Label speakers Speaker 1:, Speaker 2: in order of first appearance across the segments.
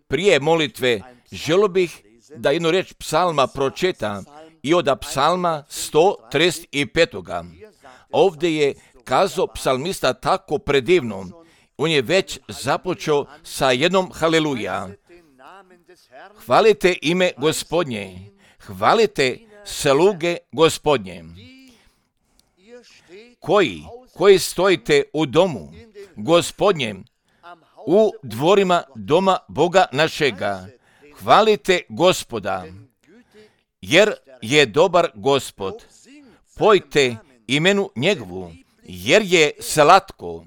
Speaker 1: Prije molitve želio bih da jednu riječ psalma pročitam i od psalma 135. Ovdje je kazao psalmista tako predivno. On je već započeo sa jednom haleluja. Hvalite ime Gospodnje, hvalite sluge Gospodnje. Koji stojite u domu Gospodnjem, u dvorima doma Boga našega, hvalite Gospoda, jer je dobar Gospod. Pojte imenu njegovu, jer je slatko.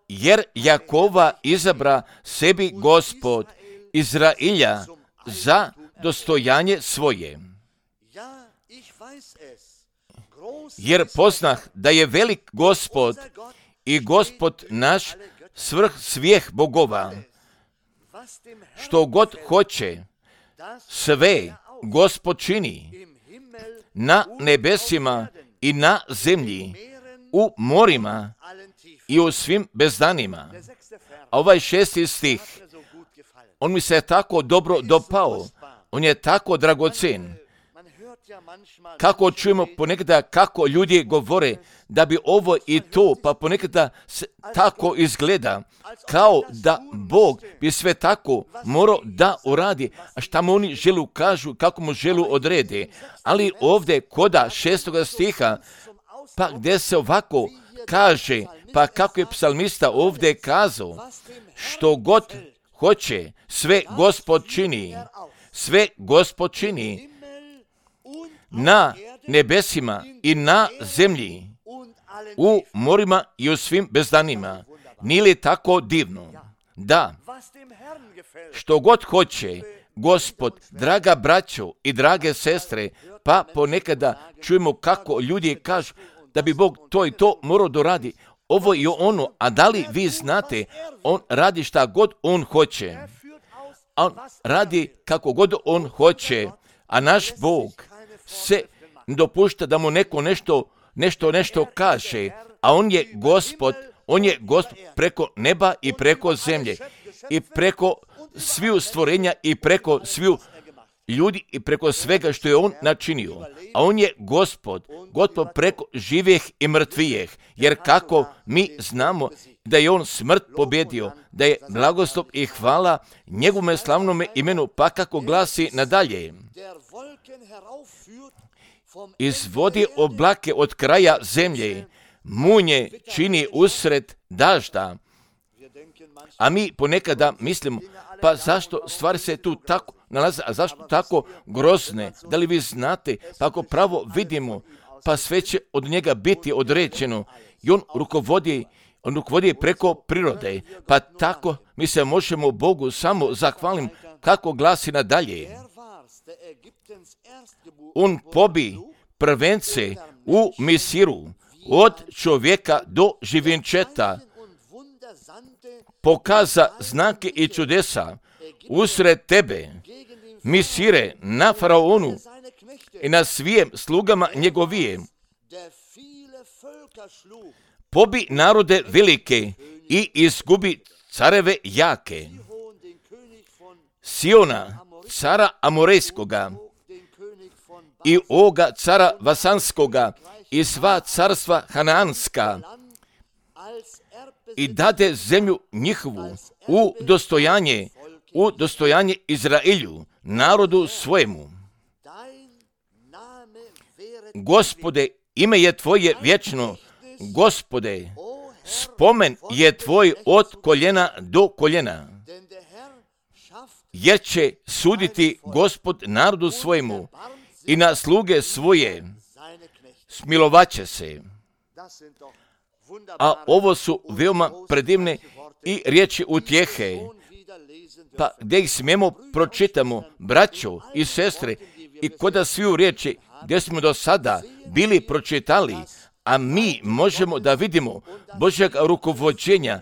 Speaker 1: Jer Jakova izabra sebi Gospod, Izrailja za dostojanje svoje. Jer poznah da je velik Gospod i Gospod naš svrh svih bogova. Što god hoće, sve Gospod čini, na nebesima i na zemlji, u morima i u svim bezdanima. A ovaj 6. stih, on mi se tako dobro dopao, on je tako dragocen. Kako čujemo ponekada kako ljudi govore da bi ovo i to, pa ponekada tako izgleda, kao da Bog bi sve tako morao da uradi, a šta mu oni želu kažu, kako mu želu odrede. Ali ovdje koda 6. stiha, pa gdje se ovako kaže, pa kako je psalmista ovdje kazao, što god hoće, sve Gospod čini, sve Gospod čini, na nebesima i na zemlji, u morima i u svim bezdanima. Nije li tako divno? Da, što god hoće Gospod, draga braćo i drage sestre, pa ponekada čujemo kako ljudi kažu da bi Bog to i to morao doradi, ovo i ono, a da li vi znate, on radi šta god on hoće. On radi kako god on hoće, a naš Bog se dopušta da mu neko nešto kaže, a on je Gospod preko neba i preko zemlje i preko sviju stvorenja i preko sviju ljudi i preko svega što je on načinio. A on je Gospod preko živih i mrtvijih, jer kako mi znamo da je on smrt pobjedio, da je blagoslov i hvala njegovome slavnome imenu, pa kako glasi nadalje. Izvodi oblake od kraja zemlje, munje čini usred dažda. A mi ponekada mislimo, pa zašto stvari se tu tako nalaze, a zašto tako grozne? Da li vi znate, pa ako pravo vidimo, pa sve će od njega biti određeno i on rukovodi preko prirode, pa tako mi se možemo Bogu samo zahvalim kako glasi nadalje. On pobi prvence u Misiru, od čovjeka do živinčeta, pokaza znake i čudesa usred tebe, Misire, na faraonu i na svijem slugama njegovijem. Pobi narode velike i izgubi careve jake. Siona, cara Amorejskoga, i Oga, cara Vasanskoga, i sva carstva Hanaanska, i dade zemlju njihovu u dostojanje Izraelju, narodu svojemu. Gospode, ime je tvoje vječno, Gospode, spomen je tvoj od koljena do koljena, jer će suditi Gospod narodu svojemu i na sluge svoje smilovaće se. A ovo su veoma predivne i riječi utjehe, pa gdje ih smijemo pročitamo, braćo i sestre, i koda sviju riječi gdje smo do sada bili pročitali, a mi možemo da vidimo Božjeg rukovođenja,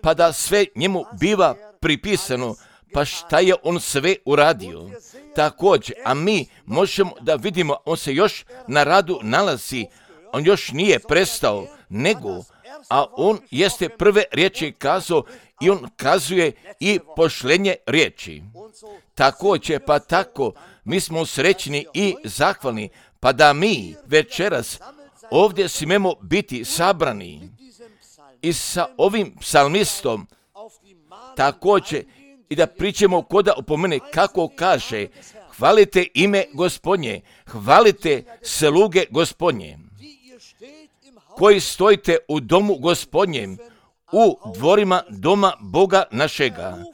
Speaker 1: pa da sve njemu biva pripisano, pa šta je on sve uradio. Također, a mi možemo da vidimo, on se još na radu nalazi, on još nije prestao, nego, a on jeste prve riječi kazao i on kazuje i pošlenje riječi. Također, pa tako, mi smo srećni i zahvalni, pa da mi večeras ovdje smijemo biti sabrani i sa ovim psalmistom također i da pričamo koda opomene kako kaže: hvalite ime Gospodnje, hvalite sluge Gospodnje, koji stojite u domu Gospodnjem, u dvorima doma Boga našega.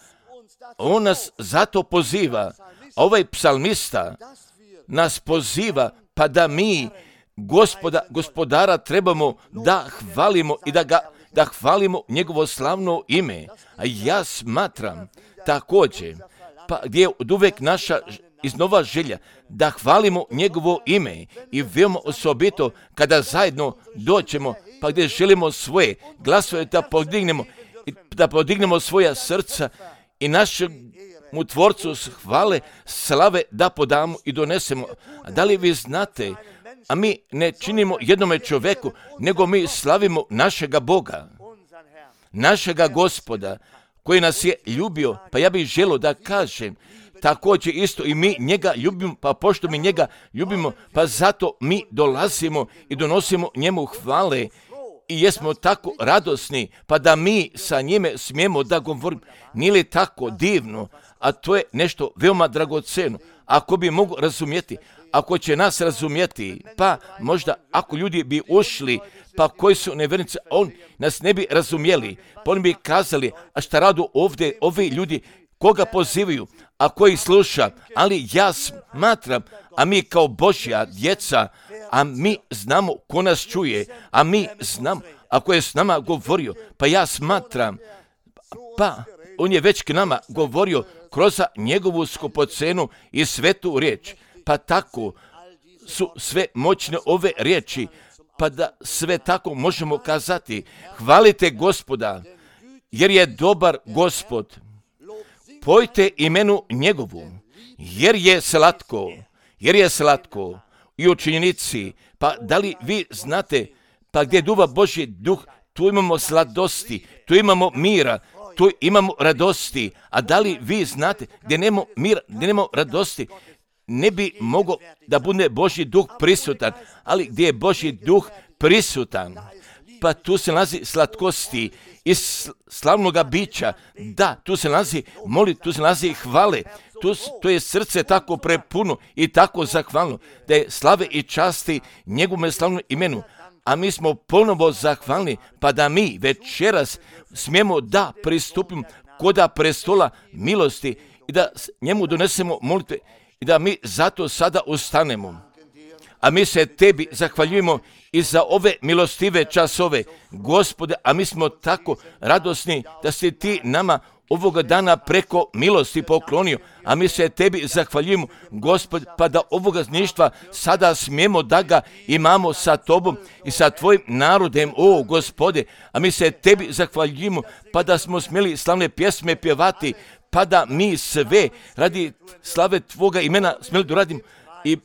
Speaker 1: On nas zato poziva, ovaj psalmista nas poziva, pa da mi gospodara trebamo da hvalimo i da hvalimo njegovo slavno ime. A ja smatram također, pa gdje je od uvek naša iznova želja da hvalimo njegovo ime i veoma osobito kada zajedno dođemo, pa gdje želimo svoje glasove da podignemo svoja srca i našemu Tvorcu hvale, slave da podamo i donesemo. A da li vi znate, a mi ne činimo jednome čovjeku, nego mi slavimo našega Boga, našega Gospoda, koji nas je ljubio. Pa ja bih želio da kažem, također isto i mi njega ljubimo, pa pošto mi njega ljubimo, pa zato mi dolazimo i donosimo njemu hvale i jesmo tako radosni, pa da mi sa njime smijemo da govorimo. Nije li tako divno? A to je nešto veoma dragoceno. Ako bi mogu razumjeti, ako će nas razumjeti, pa možda ako ljudi bi ušli, pa koji su nevjernici, on nas ne bi razumjeli, pa oni bi kazali: a šta radu ovdje ovi ljudi, koga pozivaju, a koji sluša? Ali ja smatram, a mi kao Božja djeca, a mi znamo ko nas čuje, a mi znamo ako je s nama govorio, pa ja smatram, pa on je već k nama govorio kroz njegovu skupocenu i svetu riječ. Pa tako su sve moćne ove riječi, pa da sve tako možemo kazati: hvalite Gospoda, jer je dobar Gospod. Pojte imenu njegovu, jer je slatko i u činjenici. Pa da li vi znate, pa gdje duva Božji duh, tu imamo sladosti, tu imamo mira, tu imamo radosti. A da li vi znate, gdje nemamo mira, gdje nemamo radosti, ne bi mogao da bude Božji duh prisutan, ali gdje je Božji duh prisutan, pa tu se nalazi slatkosti i slavnoga bića. Da, tu se nalazi tu se nalazi hvale. To je srce tako prepuno i tako zahvalno, da je slave i časti njegovom slavnom imenu. A mi smo ponovo zahvalni, pa da mi večeras smijemo da pristupimo koda prestola milosti i da njemu donesemo molitve i da mi zato sada ustanemo. A mi se tebi zahvaljujemo i za ove milostive časove, Gospode, a mi smo tako radosni da si ti nama ovoga dana preko milosti poklonio, a mi se tebi zahvaljujemo, Gospod, pa da ovoga zništva sada smijemo da ga imamo sa tobom i sa tvojim narodem, o Gospode, a mi se tebi zahvaljujemo, pa da smo smjeli slavne pjesme pjevati, pa da mi sve radi slave tvoga imena smjeli doradimo i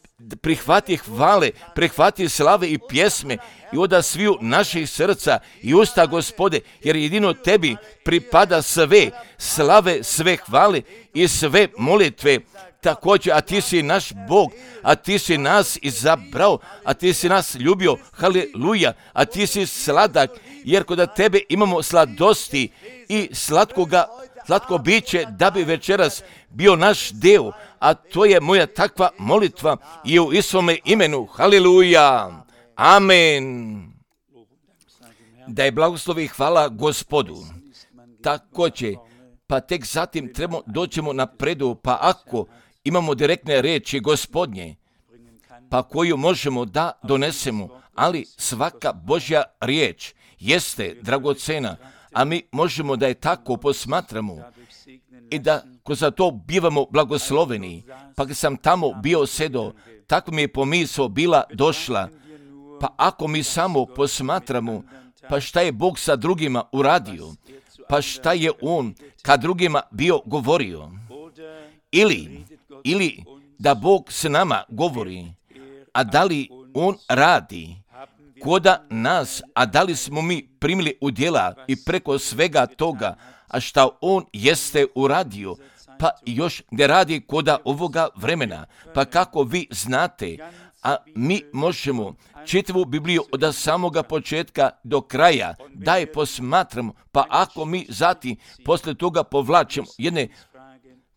Speaker 1: prihvati hvale, prihvati slave i pjesme i od sviju naših srca i usta, Gospode, jer jedino tebi pripada sve slave, sve hvale i sve molitve. Također, a ti si naš Bog, a ti si nas izabrao, a ti si nas ljubio, haleluja, a ti si sladak, jer kod tebe imamo sladosti i slatko biće da bi večeras bio naš deo, a to je moja takva molitva i u Isovome imenu, haleluja, amen. Da je blagoslov i hvala Gospodu. Također, pa tek zatim doćemo napredu, pa ako imamo direktne riječi Gospodnje, pa koju možemo da donesemo, ali svaka Božja riječ jeste dragocena, a mi možemo da je tako posmatramo i da kroz to bivamo blagosloveni. Pa kad sam tamo bio sedo, tako mi je pomisao bila došla, pa ako mi samo posmatramo, pa šta je Bog sa drugima uradio, pa šta je On kad drugima bio govorio, ili da Bog s nama govori, a da li On radi koda nas, a da li smo mi primili u djela i preko svega toga, a šta on jeste uradio, pa još ne radi koda ovoga vremena, pa kako vi znate, a mi možemo čitavu Bibliju od samoga početka do kraja, da je posmatramo, pa ako mi zatim posle toga povlačimo jedne,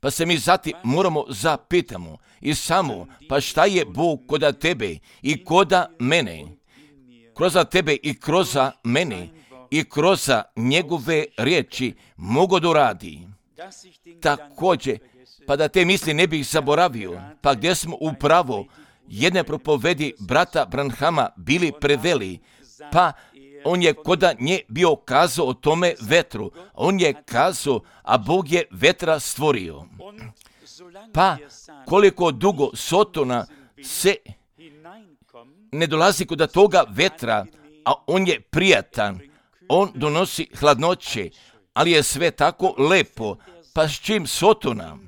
Speaker 1: pa se mi zatim moramo zapitamo i samo, pa šta je Bog koda tebe i koda mene, kroz tebe i kroz mene i kroz njegove riječi mogu da uradi. Također, pa da te misli ne bih zaboravio, pa gdje smo upravo jedne propovedi brata Branhama bili preveli, pa on je koda nje bio kazao o tome vetru. On je kazao, a Bog je vetra stvorio. Pa koliko dugo Sotona se ne dolazi kod toga vetra, a on je prijatan, on donosi hladnoće, ali je sve tako lepo, pa s čim Sotona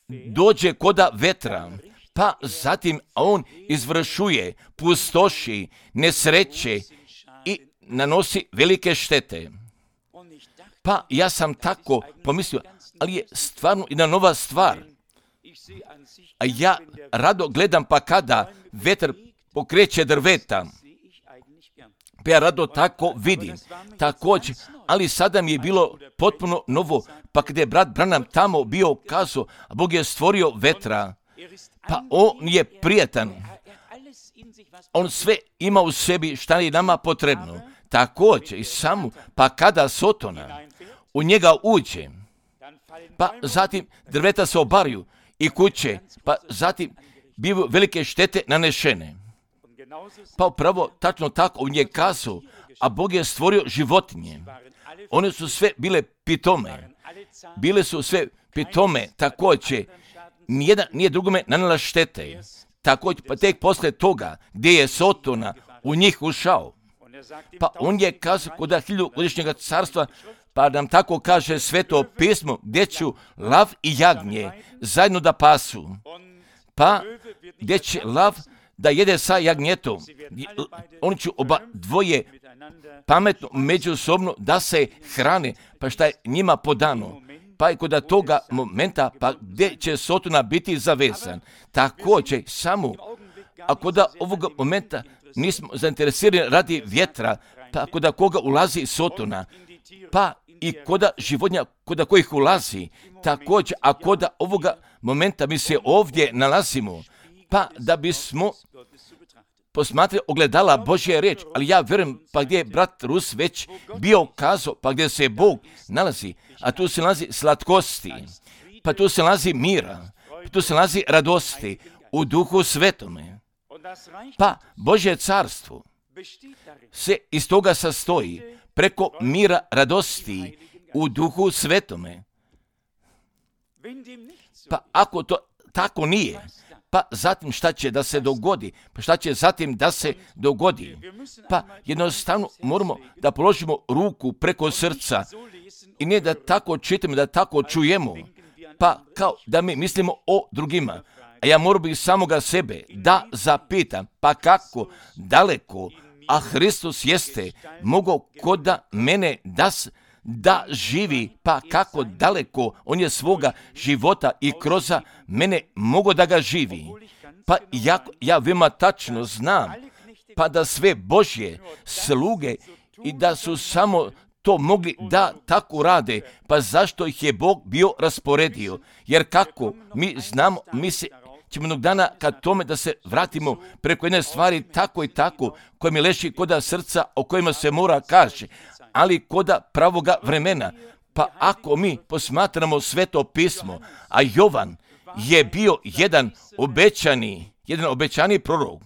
Speaker 1: dođe koda vetra, pa zatim on izvršuje pustoši, nesreće i nanosi velike štete. Pa ja sam tako pomislio, ali je stvarno jedna nova stvar. A ja rado gledam pa kada vetar pokreće drveta, pa ja rado tako vidim. Također, ali sada mi je bilo potpuno novo, pa kada je brat Branham tamo bio kazao, a Bog je stvorio vetra, pa on je prijatan. On sve ima u sebi šta je nama potrebno. Također i samo, pa kada Sotona u njega uđe, pa zatim drveta se obaraju i kuće, pa zatim bivaju velike štete nanešene. Pa upravo tačno tako on je kazao, a Bog je stvorio životinje. One su sve bile pitome. Bile su sve pitome, također nijedan nije drugome nanela štete. Također, pa tek posle toga gdje je Sotona u njih ušao, pa on je kazao kod 1000-godišnjega carstva, pa nam tako kaže Sveto pismo, gdje ću lav i jagnje zajedno da pasu. Pa gdje će lav da jede sa jagnjetom, oni će oba dvoje pametno međusobno da se hrane, pa šta je njima podano. Pa i kod toga momenta, pa gdje će Sotona biti zavezan. Također, samo, a kod ovoga momenta nismo zainteresirani radi vjetra, pa kod koga ulazi Sotona, pa i kod životinja kod kojih ulazi, također, a kod ovoga momenta mi se ovdje nalazimo, pa da bismo posmatrali ogledala Božje riječ, ali ja vjerujem, pa gdje je brat Rus već bio kazao, pa gdje se Bog nalazi, a tu se nalazi slatkosti, pa tu se nalazi mira, pa tu se nalazi radosti u Duhu Svetome. Pa Božje carstvo se iz toga sastoji preko mira radosti u Duhu Svetome. Pa ako to tako nije, pa zatim šta će da se dogodi? Pa šta će zatim da se dogodi? Pa jednostavno moramo da položimo ruku preko srca i ne da tako čitamo, da tako čujemo, pa kao da mi mislimo o drugima. A ja moram bi samoga sebe da zapitam, pa kako daleko, a Hristos jeste mogao koda mene da živi, pa kako daleko on je svoga života i kroz mene mogo da ga živi. Pa ja veoma tačno znam, pa da sve Božje sluge i da su samo to mogli da tako rade, pa zašto ih je Bog bio rasporedio? Jer kako mi znamo, mi se ćemo jednog dana kad tome da se vratimo preko jedne stvari tako i tako, koje mi leži koda srca, o kojima se mora kaže, ali koda pravoga vremena. Pa ako mi posmatramo Sveto pismo, a Jovan je bio jedan obećani prorok,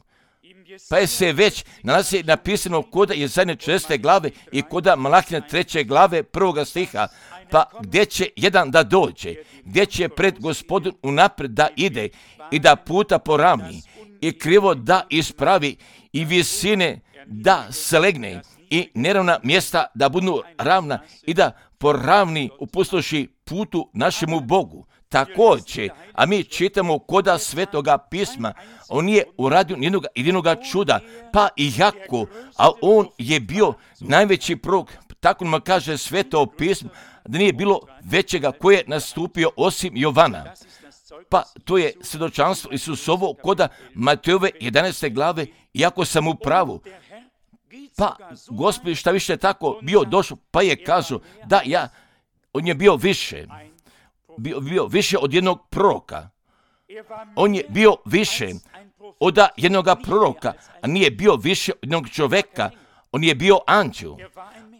Speaker 1: pa je se već nalazi napisano koda Jesaje 40. glave i koda Malahija 3. glave 1. stiha, pa gdje će jedan da dođe, gdje će pred Gospodom unapred da ide i da puta poravni i krivo da ispravi i visine da slegne i neravna mjesta da budu ravna i da poravni, upustoši putu našemu Bogu. Također, a mi čitamo koda Svetoga pisma, on nije uradio nijednog jedinoga čuda, pa i jako, a on je bio najveći prorok. Tako nam kaže Sveto pismo, da nije bilo većega koje je nastupio osim Jovana. Pa to je svjedočanstvo Isusovo koda Matejove 11. glave, iako sam u pravu. Pa Gospod šta više tako bio došao, pa je kazao da on je bio više od jednog proroka. On je bio više od jednog proroka, a nije bio više od jednog čovjeka. On je bio anđel.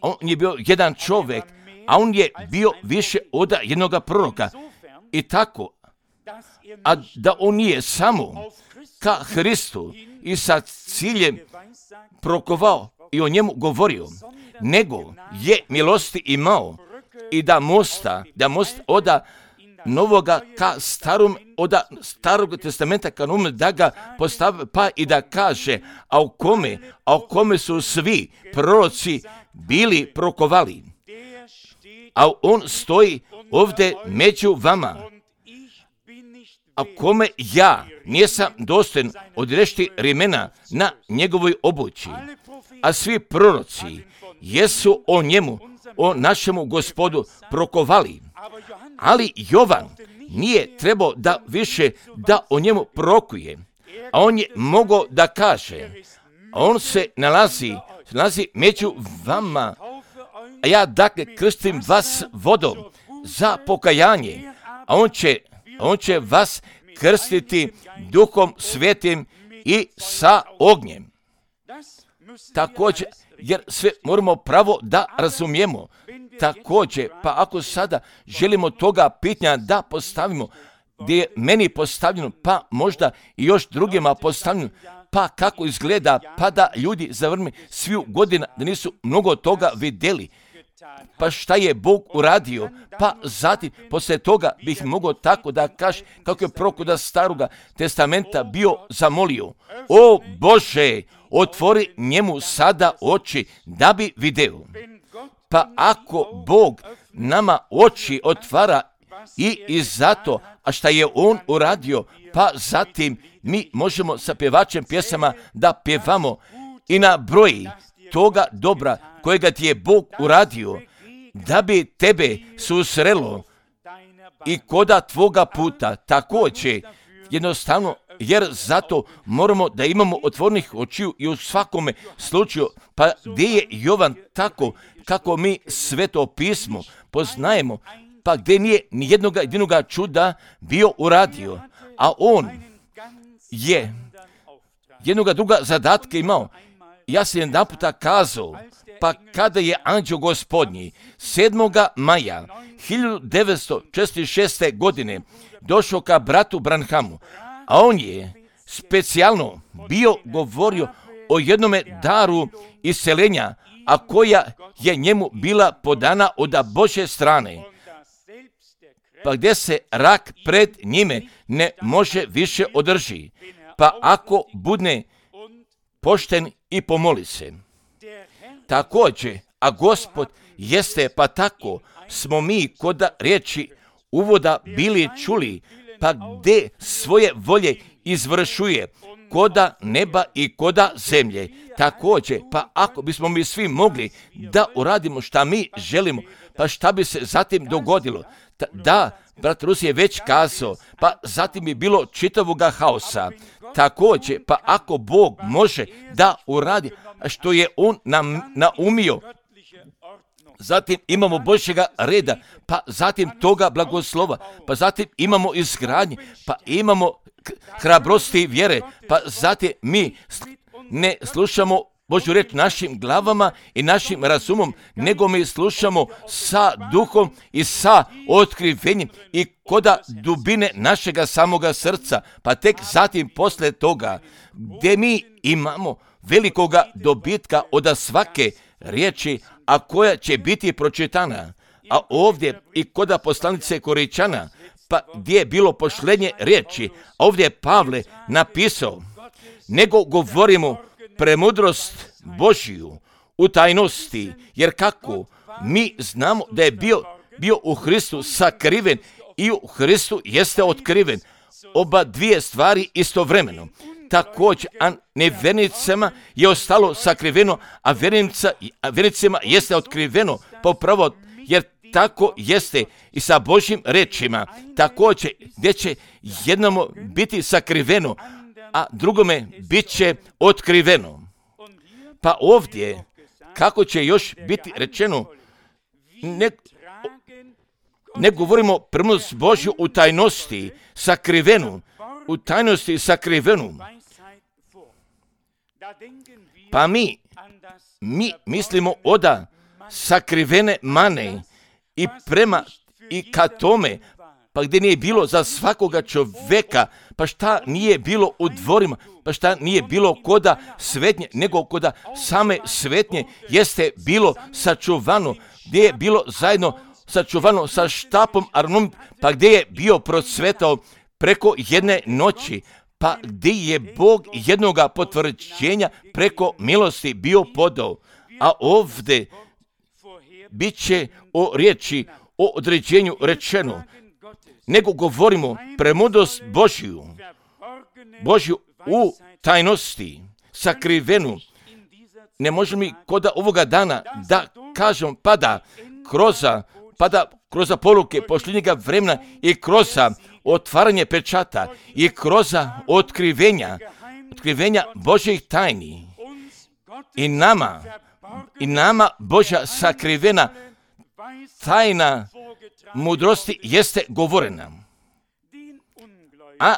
Speaker 1: On je bio jedan čovjek, a on je bio više od jednog proroka. I tako, a da on nije samo ka Hristu i sa ciljem prokovao i o njemu govorio, nego je milosti imao i da mosta od novoga ka starom, od starog testamenta ka novom, da ga postavi, pa i da kaže, a u kome su svi proroci bili prokovali. A on stoji ovdje među vama, a kome ja nisam dostojan odrešiti remena na njegovoj obući. A svi proroci jesu o njemu, o našemu Gospodu prokovali. Ali Jovan nije trebao da više da o njemu prorokuje, a on je mogao da kaže, a on se nalazi među vama, a ja dakle krstim vas vodom za pokajanje, a on će vas krstiti Duhom Svetim i sa ognjem. Također, jer sve moramo pravo da razumijemo. Također, pa ako sada želimo toga pitanja da postavimo, gdje je meni postavljeno, pa možda i još drugima postavljeno, pa kako izgleda, pa da ljudi zavrme sviju godina, da nisu mnogo toga vidjeli. Pa šta je Bog uradio, pa zatim poslije toga bih mogao tako da kažem kako je prorok od staroga testamenta bio zamolio, o Bože, otvori njemu sada oči da bi video. Pa ako Bog nama oči otvara i zato, a šta je on uradio, pa zatim mi možemo sa pjevačem pjesama da pjevamo i na broji toga dobra kojega ti je Bog uradio, da bi tebe susrelo i koda tvoga puta. Također, jednostavno, jer zato moramo da imamo otvornih očiju i u svakome slučaju, pa gdje je Jovan tako kako mi Sveto pismo poznajemo, pa gdje nije ni jednoga čuda bio uradio, a on je jednoga druga zadatka imao. Ja sam jedan puta kazao, pa kada je anđeo Gospodnji 7. maja 1946. godine došao ka bratu Branhamu, a on je specijalno bio govorio o jednome daru isceljenja, a koja je njemu bila podana od Božje strane, pa gdje se rak pred njime ne može više održi, pa ako budne pošten i pomoli se. Također, a Gospod jeste, pa tako smo mi kod riječi uvoda bili čuli, pa gdje svoje volje izvršuje koda neba i koda zemlje. Također, pa ako bismo mi svi mogli da uradimo šta mi želimo, pa šta bi se zatim dogodilo? Da, brat Rus je već kazao, pa zatim je bilo čitavoga haosa. Također, pa ako Bog može da uradi što je on nam naumio, zatim imamo Božjega reda, pa zatim toga blagoslova, pa zatim imamo izgradnje, pa imamo hrabrosti i vjere, pa zatim mi ne slušamo Božju reč našim glavama i našim razumom, nego mi slušamo sa duhom i sa otkrivenjem i koda dubine našega samoga srca, pa tek zatim posle toga, gdje mi imamo velikoga dobitka od svake riječi, a koja će biti pročitana. A ovdje i koda poslanice Koričana, pa gdje je bilo pošlenje riječi, a ovdje je Pavle napisao, nego govorimo premudrost Božju u tajnosti, jer kako mi znamo da je bio bio u Hristu sakriven i u Hristu jeste otkriven. Oba dvije stvari istovremeno. Također, a nevjernicima je ostalo sakriveno, a vjernicima jeste otkriveno popravo, jer tako jeste i sa Božjim rečima. Također, gdje će jednomu biti sakriveno, a drugome bit će otkriveno. Pa ovdje, kako će još biti rečeno, ne govorimo premudrost Božju u tajnosti sakrivenu, Pa mi mislimo oda sakrivene mane i ka tome, pa gdje nije bilo za svakoga čovjeka, pa šta nije bilo u dvorima, pa šta nije bilo koda svetnje, nego koda same svetnje jeste bilo sačuvano, gdje je bilo zajedno sačuvano sa štapom Aronom, pa gdje je bio procvetao preko jedne noći, pa gdje je Bog jednoga potvrđenja preko milosti bio podao. A ovdje bit će o riječi, o određenju rečeno, nego govorimo premudrost Božju u tajnosti, sakrivenu. Ne možemo mi koda ovoga dana da kažem pada kroz poruke posljednjega vremena i kroz otvaranje pečata i kroz otkrivenja Božjih tajni. I nama Božja sakrivena tajna mudrosti jeste govorena. A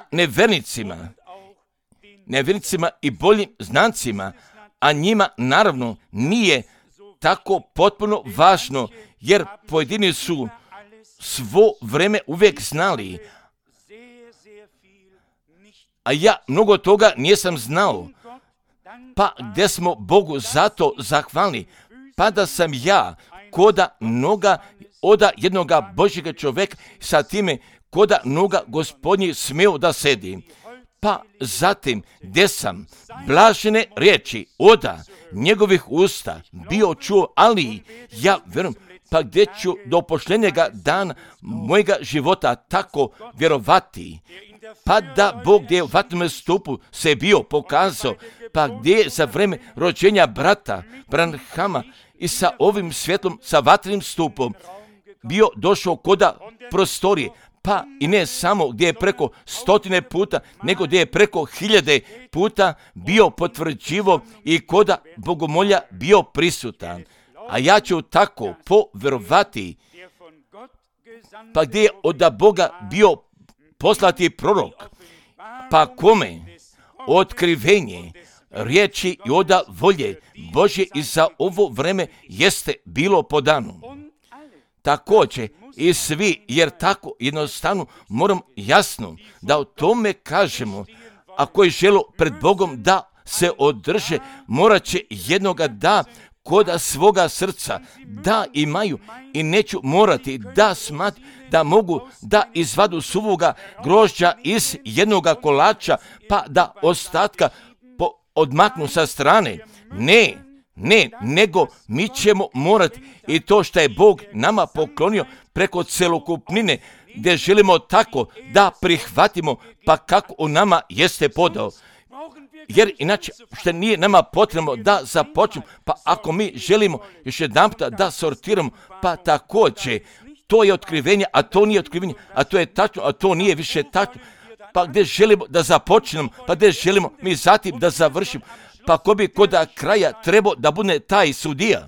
Speaker 1: nevjernicima i boljim znancima, a njima naravno nije tako potpuno važno, jer pojedini su svo vrijeme uvijek znali, a ja mnogo toga nisam znao, pa gdje smo Bogu zato zahvalni, pa da sam ja koda noga oda jednoga Božjega čovjeka sa time koda noga Gospodnji smio da sedi. Pa zatim gdje sam blažene riječi oda njegovih usta bio čuo, ali ja vjerujem, pa gdje ću do posljednjega dana mojega života tako vjerovati, pa da Bog gdje je u vatrenom stupu se bio pokazao, pa gdje je za vrijeme rođenja brata Branhama i sa ovim svjetlom, sa vatrenim stupom bio došao koda prostorije, pa i ne samo gdje je preko 100 puta, nego gdje je preko 1000 puta bio potvrđivo i koda bogomolja bio prisutan. A ja ću tako povjerovati, pa gdje je od Boga bio poslati prorok, pa kome otkrivenje riječi i oda volje Božje i za ovo vreme jeste bilo podano. Također i svi, jer tako jednostavno moram jasno da o tome kažemo, a koji žele pred Bogom da se održe, morat će jednoga da koda svoga srca da imaju i neću morati da da mogu da izvadu suvoga grožđa iz jednoga kolača, pa da ostatka odmaknu sa strane. Ne, nego mi ćemo morati i to što je Bog nama poklonio preko celokupnine, gdje želimo tako da prihvatimo, pa kako u nama jeste podao. Jer inače što nije nama potrebno da započnemo, pa ako mi želimo još jedan puta da sortiramo, pa također to je otkrivenje, a to nije otkrivenje, a to je tačno, a to nije više tačno, pa gdje želimo da započnemo, pa gdje želimo mi zatim da završimo, pa ko bi koda kraja trebao da bude taj sudija.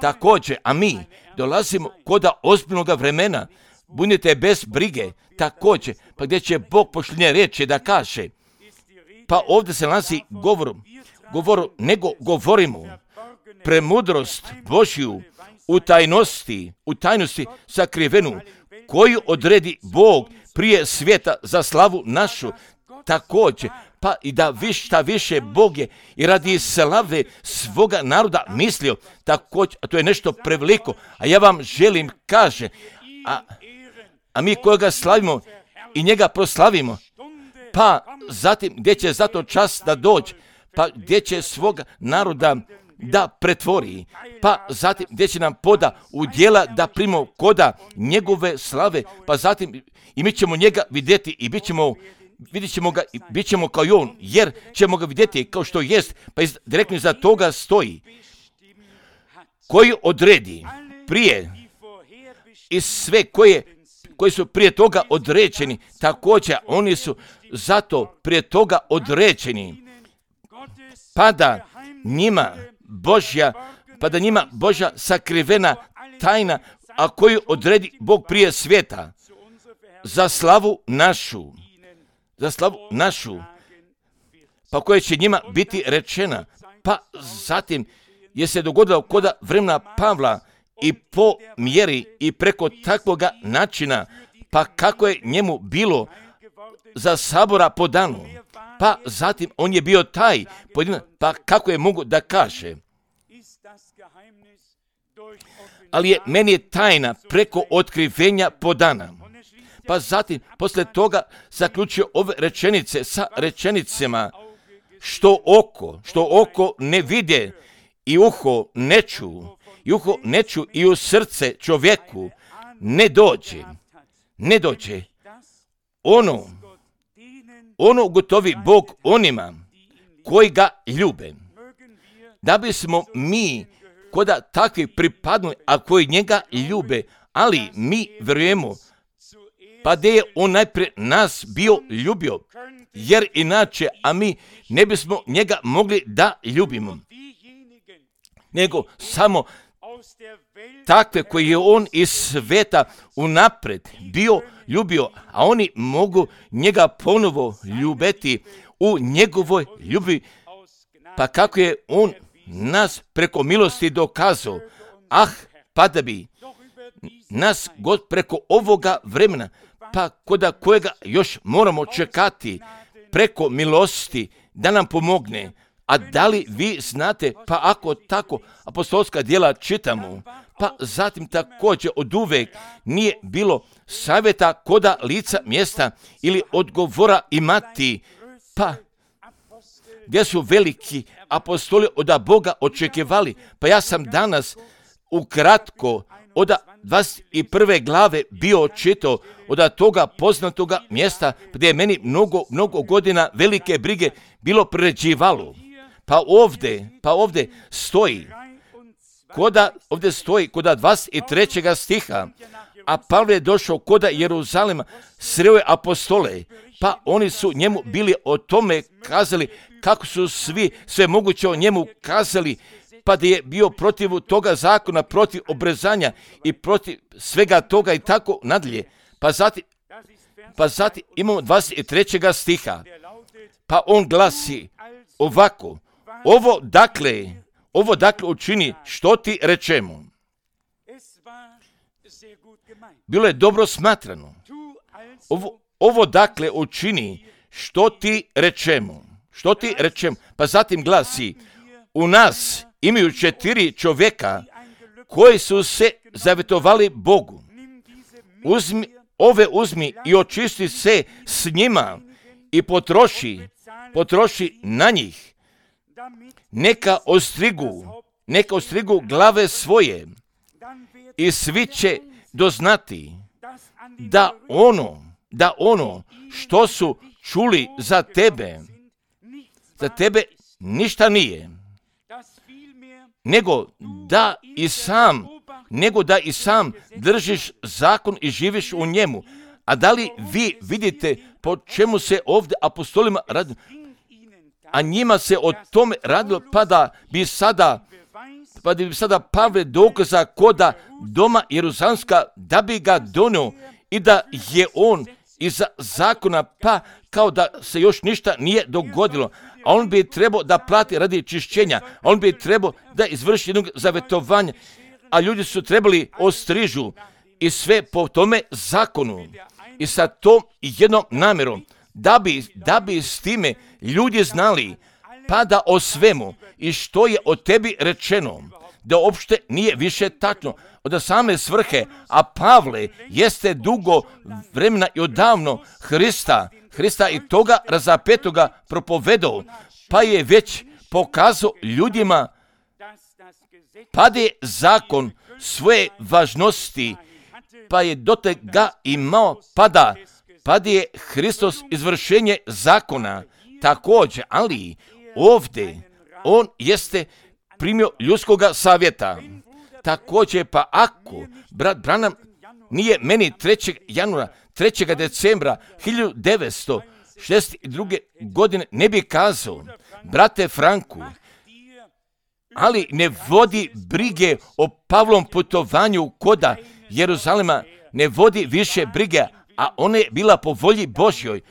Speaker 1: Također, a mi dolazimo koda ozbiljnoga vremena, budite bez brige, također, pa gdje će Bog posljednje riječi da kaže, pa ovdje se nalazi nego govorimo premudrost Božju u tajnosti sakrivenu, koju odredi Bog prije svijeta za slavu našu, također, pa i da više Bog je i radi slave svoga naroda mislio, također, a to je nešto preveliko, a ja vam želim kaže, a mi kojega slavimo i njega proslavimo, pa zatim gdje će zato čas da dođe, pa gdje će svoga naroda da pretvori, pa zatim gdje će nam poda u djela da primimo koda njegove slave, pa zatim i mi ćemo njega vidjeti i vidjet ćemo ga i bit ćemo kao i on, jer ćemo ga vidjeti kao što jest, pa direktno iza toga stoji koji odredi prije i sve koji su prije toga određeni, također oni su zato prije toga određeni, pa da njima Božja sakrivena tajna, a koju odredi Bog prije svijeta, za slavu našu, pa koja će njima biti rečena. Pa zatim je se dogodilo kod vremena Pavla i po mjeri i preko takvoga načina, pa kako je njemu bilo za sabora po danu, pa zatim on je bio taj pojedinac, pa kako je mogu da kaže. Ali je meni tajna preko otkrivenja po dana. Pa zatim, poslije toga, zaključio ove rečenice sa rečenicama što oko ne vide i uho ne ču i u srce čovjeku ne dođe. Ono gotovi Bog onima koji ga ljube. Da bismo mi koda takvi pripadnuli, a koji njega ljube, ali mi vjerujemo, pa da je on najprije nas bio ljubio, jer inače, a mi ne bismo njega mogli da ljubimo, nego samo takve koji je on iz sveta unaprijed bio ljubio, a oni mogu njega ponovo ljubiti u njegovoj ljubi, pa kako je on nas preko milosti dokazao, pa da bi nas God preko ovoga vremena, pa koda kojega još moramo čekati preko milosti da nam pomogne. A da li vi znate, pa ako tako apostolska djela čitamo, pa zatim također od uvek nije bilo savjeta koda lica mjesta ili odgovora imati, pa gdje su veliki apostoli od Boga očekivali. Pa ja sam danas ukratko od 21. glave bio čitao od toga poznatoga mjesta gdje je meni mnogo godina velike brige bilo priređivalo. Pa ovdje stoji koda 23. stiha, a Pavle je došao koda Jeruzalema, sreo je apostole, pa oni su njemu bili o tome kazali, kako su sve moguće o njemu kazali, pa da je bio protiv toga zakona, protiv obrezanja i protiv svega toga i tako nadalje. Pa zatim imamo 23. stiha, pa on glasi ovako, ovo dakle učini što ti rečemo. Bilo je dobro smatrano. Ovo dakle učini što ti rečemo. Pa zatim glasi, u nas imaju 4 čovjeka koji su se zavjetovali Bogu. Uzmi i očisti se s njima i potroši na njih. Neka ostrigu glave svoje i svi će doznati da ono što su čuli za tebe ništa nije, nego da i sam držiš zakon i živiš u njemu. A da li vi vidite po čemu se ovdje apostolima radi? A njima se o tome radilo, pa da bi sada Pavle dokaza koda doma Jeruzalemska, da bi ga donio i da je on iza zakona, pa kao da se još ništa nije dogodilo. A on bi trebao da plati radi čišćenja, on bi trebao da izvrši jednog zavjetovanja, a ljudi su trebali ostrižu i sve po tome zakonu i sa tom jednom namjerom, da bi s time ljudi znali, pa da o svemu i što je o tebi rečeno, da uopšte nije više tačno od same svrhe, a Pavle jeste dugo vremena i odavno Hrista i toga razapetoga propovedao, pa je već pokazao ljudima pade zakon svoje važnosti, pa je dotek ga imao, pade Hristos izvršenje zakona također, ali ovdje on jeste primio ljudskoga savjeta. Također, pa ako brat Branham nije meni 3. januara, 3. decembra 1962. godine ne bi kazao, brate Franku, ali ne vodi brige o Pavlom putovanju koda Jeruzalema, ne vodi više brige, a ona je bila po volji Božjoj,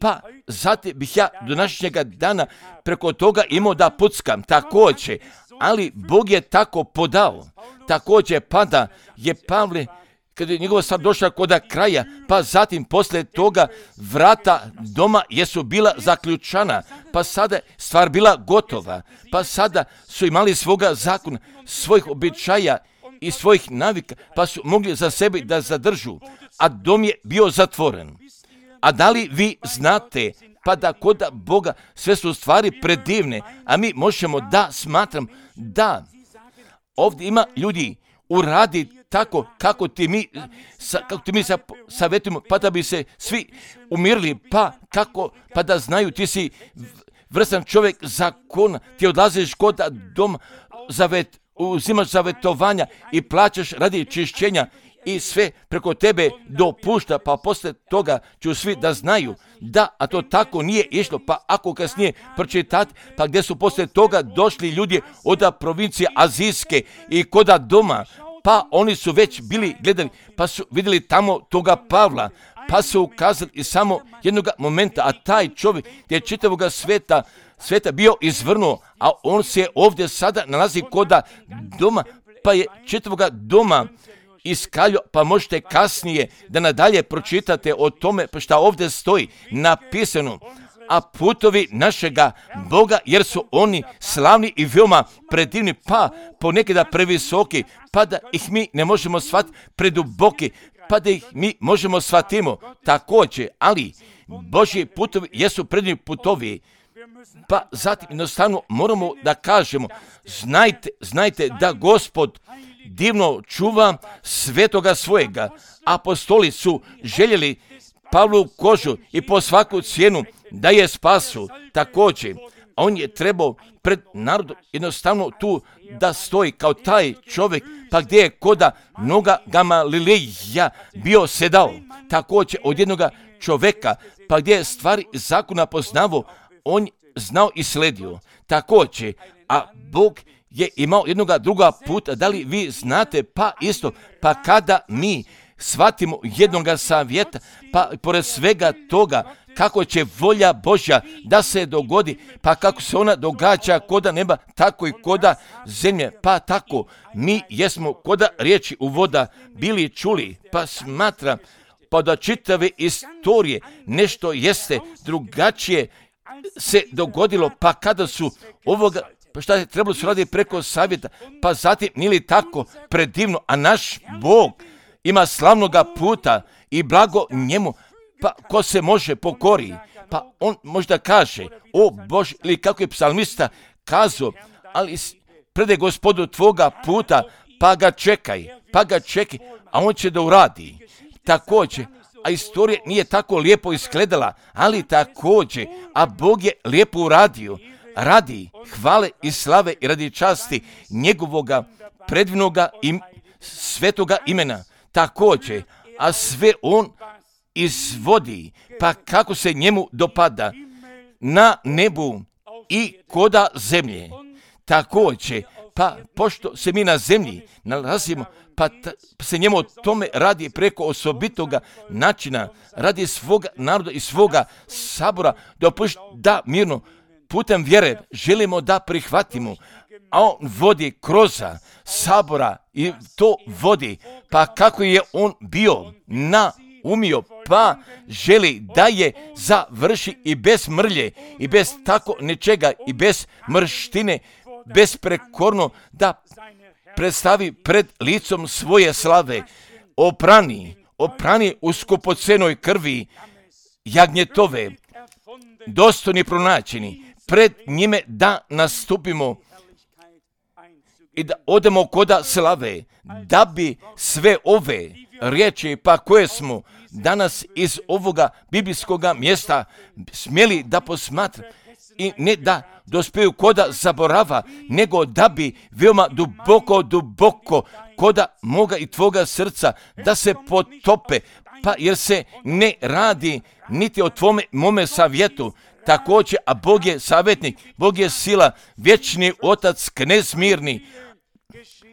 Speaker 1: pa zatim bih ja do današnjega dana preko toga imao da puckam također, ali Bog je tako podao. Također pada je Pavle, kada je njegova stvar došla kod kraja, pa zatim poslije toga vrata doma jesu bila zaključana, pa sada stvar bila gotova, pa sada su imali svoga zakona, svojih običaja i svojih navika, pa su mogli za sebe da zadržu, a dom je bio zatvoren. A da li vi znate, pa da kod Boga sve su stvari predivne, a mi možemo da smatram da ovdje ima ljudi uradi tako kako ti mi savjetujemo, pa da bi se svi umirili, pa da znaju ti si vrstan čovjek zakona, ti odlaziš kod doma, uzimaš zavjetovanja i plaćaš radi čišćenja i sve preko tebe dopušta, pa poslije toga ću svi da znaju da, a to tako nije išlo, pa ako kasnije pročitati, pa gdje su poslije toga došli ljudi od provincije Azijske i koda doma, pa oni su već bili gledali, pa su vidjeli tamo toga Pavla, pa su ukazali i samo jednog momenta, a taj čovjek je čitavoga sveta bio izvrnuo, a on se ovdje sada nalazi koda doma, pa je čitavoga doma iskaljo, pa možete kasnije da nadalje pročitate o tome šta ovdje stoji napisano, a putovi našega Boga, jer su oni slavni i veoma predivni, pa ponekada previsoki, pa da ih mi ne možemo shvatiti, preduboki, pa da ih mi možemo shvatimo također, ali Božji putovi jesu predivni putovi, pa zatim jednostavno moramo da kažemo, znajte da Gospod divno čuva svetoga svojega. Apostoli su željeli Pavlu kožu i po svaku cijenu da je spasu također. A on je trebao pred narodom jednostavno tu da stoji kao taj čovjek, pa gdje je koda noga Gamalileja bio sedao. Također od jednoga čovjeka, pa gdje je stvari zakona poznavao, on znao i sledio. Također, a Bog je imao jednoga druga puta, da li vi znate, pa isto, pa kada mi shvatimo jednoga savjeta, pa pored svega toga, kako će volja Božja da se dogodi, pa kako se ona događa koda neba, tako i koda zemlje, pa tako mi jesmo koda riječi u voda bili čuli, pa smatram, pa da čitave istorije nešto jeste drugačije se dogodilo, pa kada su ovoga, pa šta je trebalo su raditi preko savjeta, pa zatim nije li tako predivno, a naš Bog ima slavnoga puta i blago njemu, pa ko se može pokori, pa on možda kaže, o Bože, ili kako je psalmista kazao, ali predaj Gospodu tvoga puta, pa ga čekaj, a on će da uradi. Također, a istorija nije tako lijepo izgledala, ali također, a Bog je lijepo uradio, radi hvale i slave i radi časti njegovoga predivnoga i svetoga imena. Također, a sve on izvodi, pa kako se njemu dopada na nebu i koda zemlje. Također, pa pošto se mi na zemlji nalazimo, pa se njemu o tome radi preko osobitoga načina, radi svoga naroda i svoga sabora, da mirno putem vjere želimo da prihvatimo, a on vodi kroz sabora i to vodi, pa kako je on bio naumio, pa želi da je završi i bez mrlje, i bez tako nečega, i bez mrštine, besprekorno da predstavi pred licom svoje slave, oprani u skupocenoj krvi jagnjetove, dostojni pronađeni, pred njime da nastupimo i da odemo koda slave, da bi sve ove riječi pa koje smo danas iz ovoga biblijskoga mjesta smjeli da posmatra i ne da dospiju koda zaborava, nego da bi veoma duboko koda moga i tvoga srca da se potope, pa jer se ne radi niti o mome savjetu. Također, a Bog je savjetnik, Bog je sila, vječni otac, knez mirni,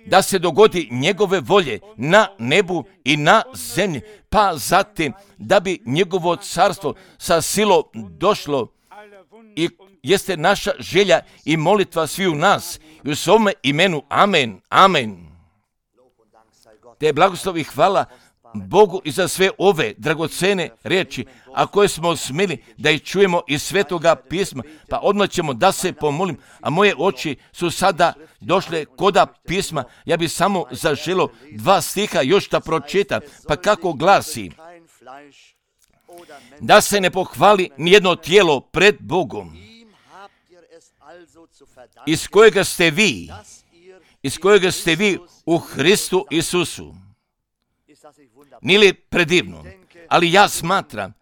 Speaker 1: da se dogodi njegove volje na nebu i na zemlji, pa zatim da bi njegovo carstvo sa silom došlo i jeste naša želja i molitva svi u nas i u svome imenu. Amen, amen. Te blagoslov i hvala Bogu i za sve ove dragocene riječi, a koje smo smjeli da ih čujemo iz Svetoga pisma, pa odmah ćemo da se pomolim, a moje oči su sada došle koda pisma. Ja bi samo zaželio 2 stiha još da pročitam, pa kako glasi: da se ne pohvali nijedno tijelo pred Bogom, iz kojega ste vi u Hristu Isusu. Nije li predivno? Ali ja smatram,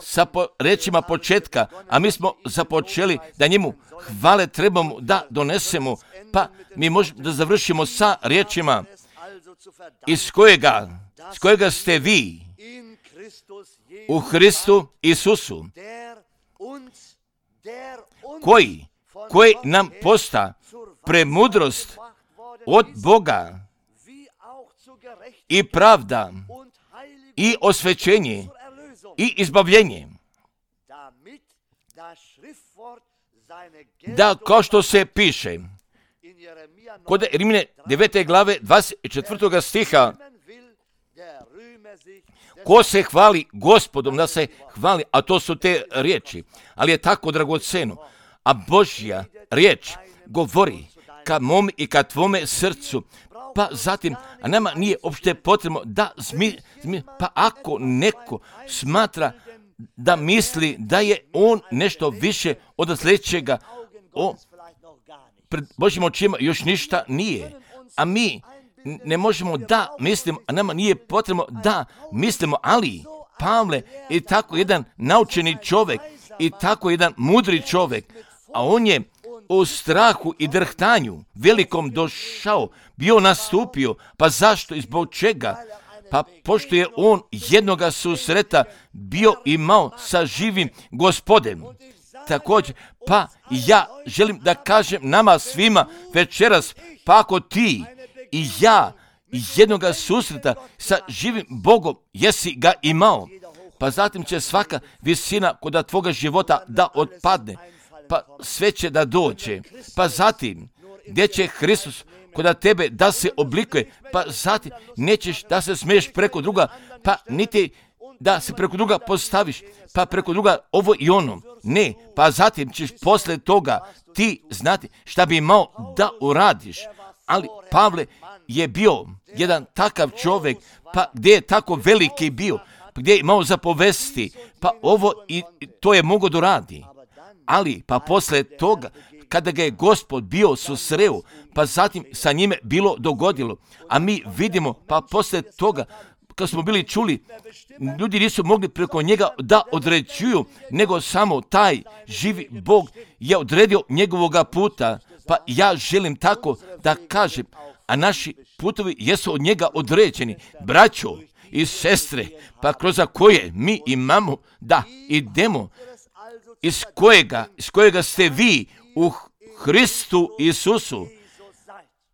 Speaker 1: sa rečima početka, a mi smo započeli da njemu hvale trebamo da donesemo, pa mi možemo da završimo sa riječima iz kojega ste vi u Hristu Isusu, koji nam posta premudrost od Boga i pravda i osvećenje i izbavljenje, da kao što se piše kod Rimljane 9. glave 24. stiha, ko se hvali Gospodom, da se hvali, a to su te riječi, ali je tako dragoceno, a Božja riječ govori ka mom i ka tvome srcu. Pa zatim, a nama nije uopšte potrebno da pa ako neko smatra da misli da je on nešto više od sljedećega, pred Božjim očima još ništa nije. A mi ne možemo da mislimo, a nama nije potrebno da mislimo, ali Pavle je tako jedan naučeni čovjek i tako jedan mudri čovjek, a on je u strahu i drhtanju velikom došao, bio nastupio. Pa zašto i zbog čega? Pa pošto je on jednoga susreta bio imao sa živim Gospodem. Također, pa ja želim da kažem nama svima večeras, pa ako ti i ja jednoga susreta sa živim Bogom jesi ga imao, pa zatim će svaka visina kod tvoga života da otpadne, pa sve će da dođe, pa zatim gdje će Hristos kod tebe da se oblikuje, pa zatim nećeš da se smiješ preko druga, pa niti da se preko druga postaviš, pa preko druga ovo i ono. Ne, pa zatim ćeš posle toga ti znati šta bi imao da uradiš. Ali Pavle je bio jedan takav čovjek, pa gdje je tako veliki bio, pa gdje je imao zapovesti, pa ovo i to je mogao da radi. Ali pa posle toga, kada ga je Gospod bio susreo, pa zatim sa njime bilo dogodilo. A mi vidimo, pa posle toga, kad smo bili čuli, ljudi nisu mogli preko njega da određuju, nego samo taj živi Bog je odredio njegovoga puta. Pa ja želim tako da kažem, a naši putovi jesu od njega određeni. Braćo i sestre, pa kroz koje mi imamo da idemo, iz kojega ste vi u Hristu Isusu,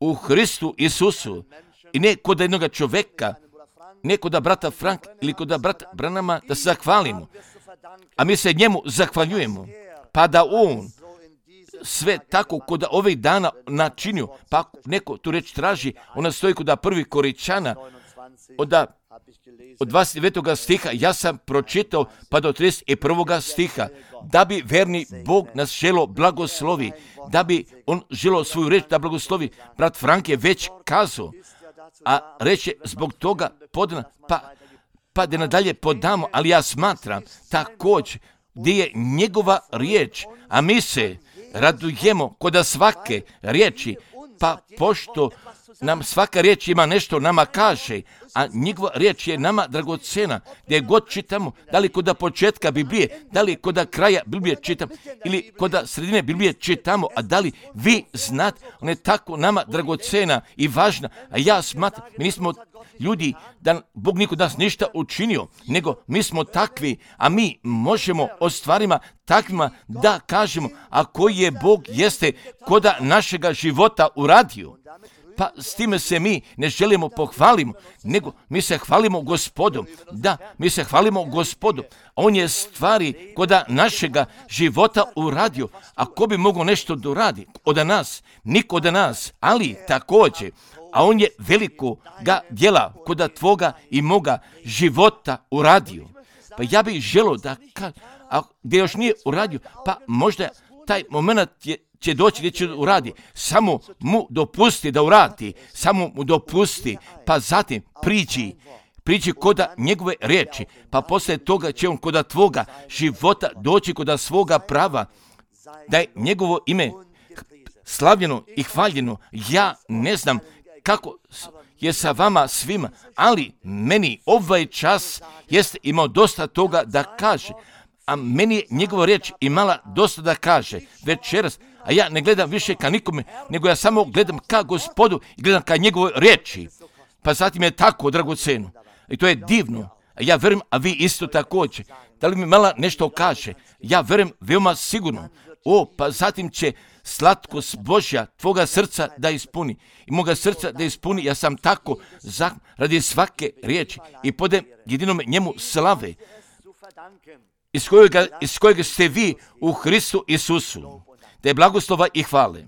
Speaker 1: u Hristu Isusu, i ne kod jednog čovjeka, ne kod brata Frank ili kod brata Branama da se zahvalimo, a mi se njemu zahvaljujemo, pa da on sve tako kod ovih dana načinio, pa neko tu reč traži, ona stoji kod 1. Korinćana, od 29. stiha, ja sam pročitao pa do 31. stiha, da bi verni Bog nas želo blagoslovi, da bi on želo svoju reč da blagoslovi. Brat Frank je već kazao, a reče zbog toga podana, pa da nadalje podamo, ali ja smatram također gdje je njegova riječ, a mi se radujemo kod svake riječi Pa pošto nam svaka riječ ima nešto nama kaže, a njegova riječ je nama dragocena, gdje god čitamo, da li kod početka Biblije, da li kod kraja Biblije čitamo, ili kod sredine Biblije čitamo, a da li vi znate, ona je tako nama dragocena i važna, a ja smatram, mi nismo ljudi da Bog niko nas ništa učinio, nego mi smo takvi, a mi možemo o stvarima takvima da kažemo, a koji je Bog jeste koda našega života uradio. Pa s time se mi ne želimo pohvalimo, nego mi se hvalimo Gospodom. Da, mi se hvalimo Gospodom. On je stvari koda našega života uradio. A ko bi mogao nešto doradi od nas? Niko od nas, ali također. A on je velikoga djela koda tvoga i moga života uradio. Pa ja bih želio da a gdje još nije uradio, pa možda taj moment će doći gdje će uradi. Samo mu dopusti da uradi. Samo mu dopusti. Pa zatim priđi koda njegove riječi. Pa poslije toga će on koda tvoga života doći koda svoga prava. Da je njegovo ime slavljeno i hvaljeno. Ja ne znam kako je sa vama svima, ali meni ovaj čas jeste imao dosta toga da kaže. A meni je njegova riječ imala dosta da kaže večeras, a ja ne gledam više ka nikome, nego ja samo gledam ka Gospodu i gledam ka njegovoj riječi. Pa zatim je tako dragoceno. I to je divno. A ja verujem, a vi isto također. Da li mi mala nešto kaže? Ja verujem veoma sigurno. Pa zatim će slatkost Božja tvoga srca da ispuni. I moga srca da ispuni. Ja sam tako radi svake riječi i podem jedinome njemu slave. Iz kojega ste vi u Hristu Isusu. Da je blagoslova i hvale.